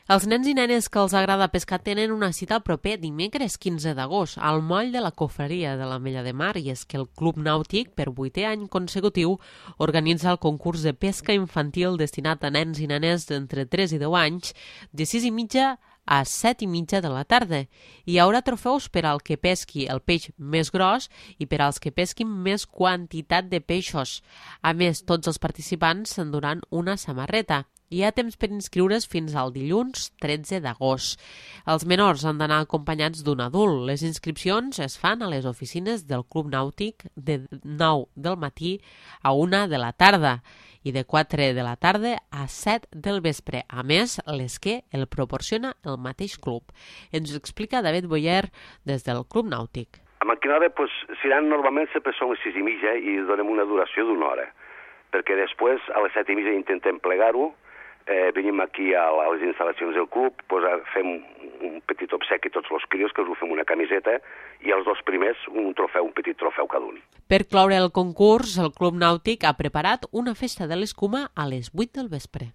Els nens i nenes que els agrada pescar tenen una cita el proper dimecres 15 d'agost al moll de la Cofreria de l'Ametlla de Mar, i és que el Club Nàutic, per 8è any consecutiu, organitza el concurs de pesca infantil destinat a nens i nenes d'entre 3 i 10 anys, de 6:30 a 7:30 de la tarda. Hi haurà trofeus per al que pesqui el peix més gros i per als que pesquin més quantitat de peixos. A més, tots els participants s'enduran una samarreta. Hi ha temps per inscriure's fins al dilluns 13 d'agost. Els menors han d'anar acompanyats d'un adult. Les inscripcions es fan a les oficines del Club Nàutic de 9 del matí a 1 de la tarda i de 4 de la tarda a 7 del vespre. A més, l'esquer el proporciona el mateix club. Ens ho explica David Boyer des del Club Nàutic. A maquinària seran normalment sempre són les 6:30 i donem una duració d'una hora, perquè després a les 7:30 intentem plegar-ho. Venim aquí a les instal·lacions del club, fem un petit obsequi a tots els crios, que us ho fem una camiseta, i els dos primers un petit trofeu cada un. Per cloure el concurs, el Club Nàutic ha preparat una festa de l'escuma a les 8 del vespre.